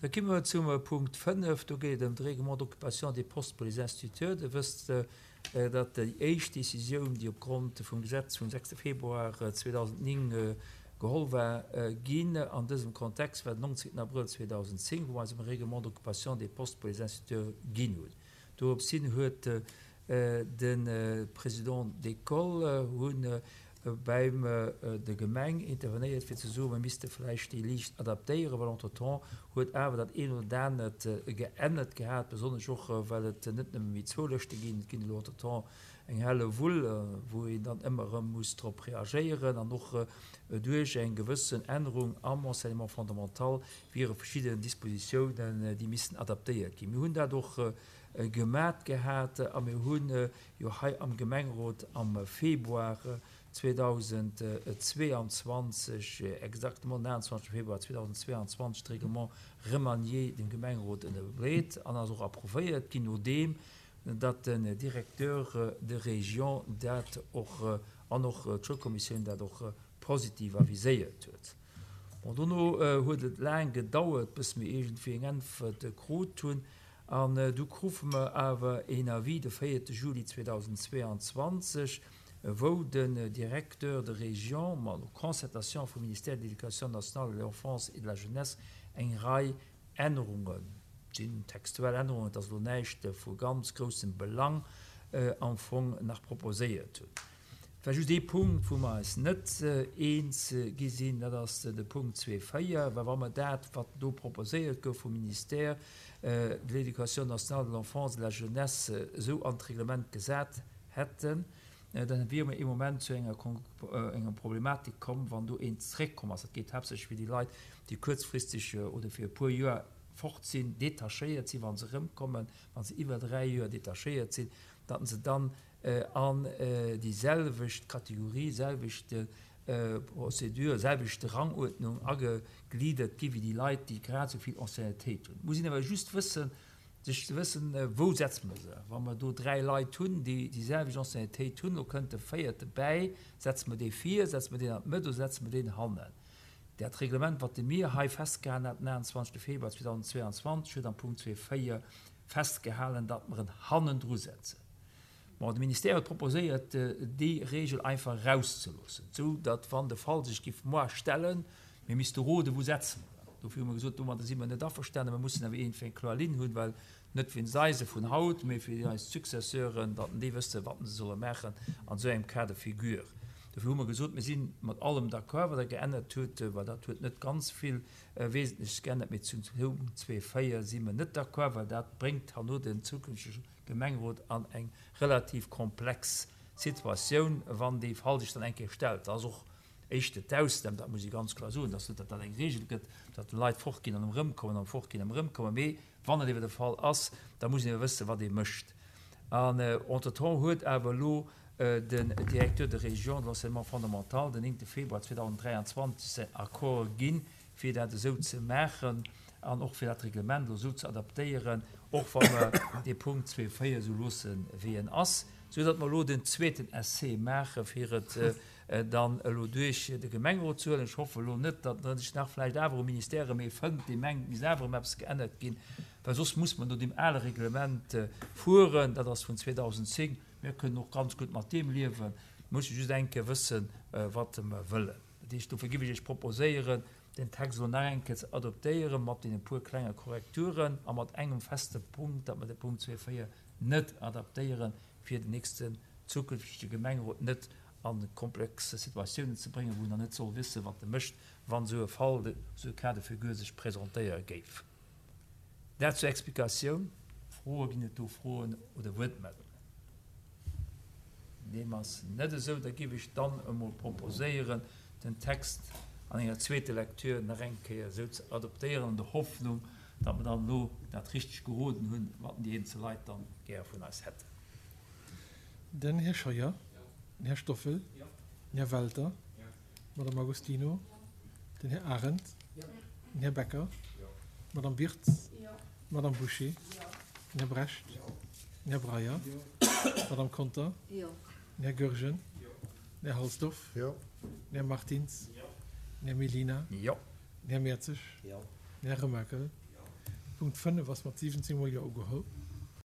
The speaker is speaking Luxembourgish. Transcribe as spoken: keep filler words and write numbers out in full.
Da komme mer zum Punkt fënnef. Do geet et ëm de Règlement d'occupation des postes pour les instituteurs. Dir wësst, datt déi éischt Décisioun, déi opgrond vum Gesetz vum sechste Februar zweedausendnéng geholl war ginn an dësem Kontext, war den nonzéngten Abrëll zweedausendzéng, wou mer eis e Règlement d'occupation des postes pour les instituteurs ginn hunn. Doropshin huet de Président d'école hunn beim der Gemeng intervenéiert fir ze soen, mer misste vläicht déi liicht adaptéieren, well entretemps huet awer dat eent oder anert geännert gehat, besonnesch och well et net nëmme méi zwou Lëschte ginn, et ginn elo entretemps eng helle Wull, wou een dann ëmmer erëm muss drop reagéieren an och duerch eng gewëssen Ännerung am Enseignement fondamental wiere verschidden Dispositiounen, déi missten adaptéiert ginn. Mir hunn dat och gemat gehat a mir hunn jo hei am Gemengerot am Februar zweedausendzweeanzwanzeg, exactement den achtenzwanzegste Februar zweedausendzweeanzwanzeg, d'Règlement remanié dem Gemengerot ënnerbreet an ass och approuvéiert ginn, nodeem datt den Directeur de région dat och an och d'Schoulkommissioun dat och positiv aviséiert huet. Bon, dono huet et laang gedauert, bis mir iergendwéi eng Äntwert krut hunn. An du krufe mer awer een Avis de véierte Juli zweedausendzweeanzwanzeg, wou den Directeur de région, ma no Concertation vum Ministère de l'Éducation nationale, de l'Enfance et de la Jeunesse, eng Rei Ännerungen, et sinn textuell Ännerungen, et ass elo näischt vu ganz groussem Belang am Fong, nach proposéiert hunn. Et war just ee Punkt, wou mer eis net eens gi sinn, dat ass de Punkt zwee véier, well wa mer dat, wat do proposéiert gouf vum Ministère de l'Éducation nationale, de l'Enfance et de la Jeunesse, esou an d'Reglement gesat hätten, dann wiere mer ee Moment zu enger enger Problematik komm, wann do een zréckkomm ass. Dat geet haaptsächlech fir déi Leit, déi kuerzfristeg oder fir e puer Joer fort sinn, detachéiert sinn, wa se erëmkommen, wa se iwwer dräi Joer detachéiert sinn, datt se dann an déi selwecht Kategorie, selwecht Procédure, selwecht Ranguerdnung agegliddert gi wéi déi Leit, déi grad esou vill Anciennetéit hunn. Et muss een awer just wëssen, sech ze wëssen, wou setze mer se. Wa mer do dräi Leit hunn, déi déi selwecht Anciennetéit hunn, lo kënnt de véierte bäi, setze mer dee vir, setze mer deen an d'Mëtt oder setze mer deen hannen? Dat Reglement, wat de mir hei festgehalen hat den achtenzwanzegste Februar zweedausendzweeanzwanzeg, huet am Punkt zwee véier festgehalen, datt mer en hannendru setzen. Bon, de Ministère huet proposéiert, déi Regel einfach erauszeloossen, esou datt, wann de Fall sech giff moar stellen, mir misste roden, wou setze mer en. Dofir hu mer gesot, domadder si mer net averstanen, mer mussen awer iergendwéi eng kloer Linn hunn, well net wéinst eise vun haut, mee fir eis Successeuren, datt déi wësse wat se solle maachen an esou engem Cas de figure. Dofir hu mer gesot, mir si mat allem d'accord, wat Der geännert hutt, well dat huet net ganz vill Wesentleches geännert, mee zum Punkt zwee véier si mer net d'accord, well dat bréngt herno den zukünftege Gemengerot an eng relativ komplex Situatioun, wann dee Fall sech dann eng Kéier stellt. Dat ass och éischter d'Ausnam, dat muss ee ganz kloer soen, dass net, datt dat eng Regel gëtt, datt Leit fortginn an erëmkommen an fortginn an erëmkommen, mee wann et ewer de Fall ass, da muss een ewer wëssen, wat ee mécht. An entretemps huet awer elo den Directeur de région de l'enseignement fondamental den néngte Februar zweedausenddräianzwanzeg säin Accord ginn, fir dat esou ze maachen an och fir dat Reglement elo esou ze adaptéieren, och wa mer dee Punkt zwee véier esou loosse wéi en ass, esou datt mer elo den zweeten Essai maache fir et dann elo duerch de Gemengerot ze huelen. Ech hoffe elo net, datt sech nach vläicht awer um Ministère erëm ee fënnt, dee mengt, et misst awer erëm eppes geännert ginn, well soss muss mer no deem ale Reglement fueren, dat ass vun zweedausendzéng. Mir kënnen och ganz gutt mat deem liewen. Mir musse just eng Kéier wëssen, wat mer wëllen. Dat heescht, dofir géif ech Iech proposéieren, den Text elo nach eng Kéier ze adoptéieren, mat deene puer klenge Korrekturen a mat engem feste Punkt, datt mer de Punkt zwee véier net adaptéieren, fir den nächsten zukünftege Gemengerot net a komplex Situatiounen ze bréngen, wou en dann net soll wëssen, wat e mécht, wann esou e Fall, esou e Cas de figure sech presentéiere géif. Dat zur Explikatioun. Froe, ginn et do Froen oder Wuertmeldungen? Deem ass net esou. Da géif ech dann emol proposéieren, den Text an enger zweeter Lecture nach eng Kéier esou ze adoptéieren, an der Hoffnung, datt mer dann elo dat richteg geroden hunn, wat déi eenzel Leit dann gär vun eis hätten. Den Här Scheuer, den Här Stoffel, den Här Welter, d'Madame Agostino, den Här Arendt, den Här Becker, d'Madame Birtz, d'Madame Bouché, den Här Brecht, den Här Breyer, d'Madame Conter, den Här Goergen, den Här Halsdorf, den Här Martins, den Här Mellina, den Här Mertzig, den Här Remakel, De Punkt fënnef ass mat siwwenzéng mol Jo ugeholl.